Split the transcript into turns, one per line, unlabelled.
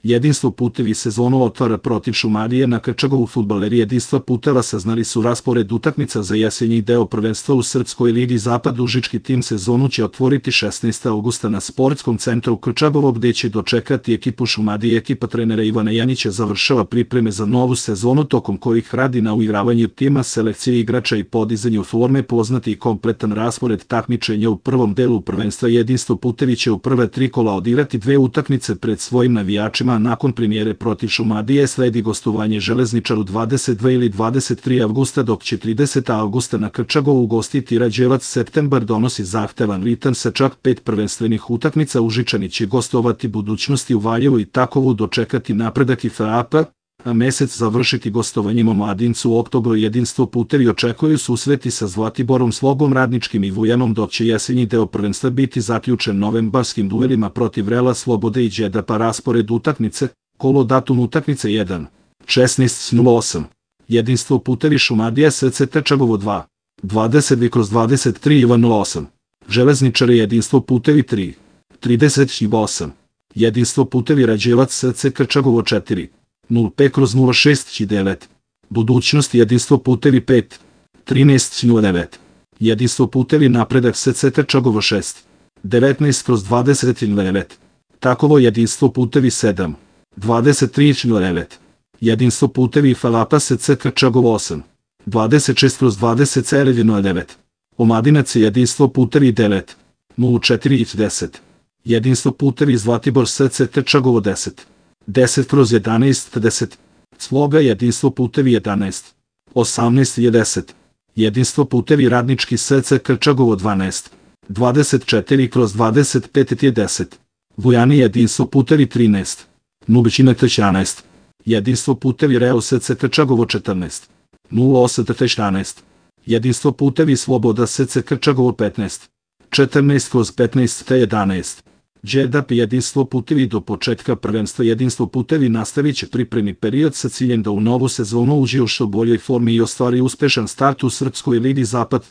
Jedinstvo putevi sezonu otvara protiv Šumadije na Krčagovu. Fudbaleri Jedinstva puteva saznali su raspored utakmica za jesenji deo prvenstva u Srpskoj ligi Zapad. Užički tim sezonu će otvoriti 16. augusta na Sportskom centru Krčagovo, gde će dočekati ekipu Šumadije. Ekipa trenera Ivana Janjića završava pripreme za novu sezonu, tokom kojih radi na uigravanju tima, selekcije igrača i podizanju forme. Poznati i kompletan raspored takmičenja u prvom delu prvenstva. Jedinstvo putevi će u prve 3 kola odigrati 2 utakmice pred svojim navijačima. Nakon premijere protiv Šumadije sledi gostovanje Železničaru 22 ili 23. avgusta, dok će 30. avgusta na Krčagovu ugostiti Rađevac. Septembar donosi zahtevan ritam sa čak 5 prvenstvenih utakmica. Užičani će gostovati Budućnosti u Valjevu i Takovu, dočekati Napredak i FAP, a mesec završiti gostovanjem u Mladincu. U oktobru Jedinstvo putevi očekuju susreti sa Zlatiborom, Slogom Radničkim i Vujanom, dok će jesenji deo prvenstva biti zaključen novembarskim duelima protiv Rela, Slobode i Đedapa. Raspored utakmice, kolo, datum utakmice 1. 16.08. Jedinstvo putevi Šumadija SC Krčagovo 2. 22/23 Ivan 08. Železničari Jedinstvo putevi 3. 38. Jedinstvo putevi Rađevac SC Krčagovo 4. 05/06 Budućnost Jedinstvo putevi 5. 13/09. Jedinstvo putevi Napredak SC Krčagovo 6. 19/29. Takovo Jedinstvo putevi 7. 23/09. Jedinstvo putevi Falapa SC Krčagovo 8. 26/20 Omladinac Jedinstvo putevi 9. 04/10. Jedinstvo putevi Zlatibor SC Krčagovo 10. 10/11 Sloga Jedinstvo putevi 11. 18/10. Jedinstvo putevi Radnički SC Krčagovo 12. 24/25 Vujani Jedinstvo putevi 13. Nubićina 11. Jedinstvo putevi Reo SC Krčagovo 14. 08/11. Jedinstvo putevi Sloboda SC Krčagovo 15. 14/15 Đedap Jedinstvo putevi. Do početka prvenstva Jedinstvo putevi nastavit će pripremni period sa ciljem da u novu sezonu uđe u što boljoj formi i ostvari uspešan start u Srpskoj ligi Zapad.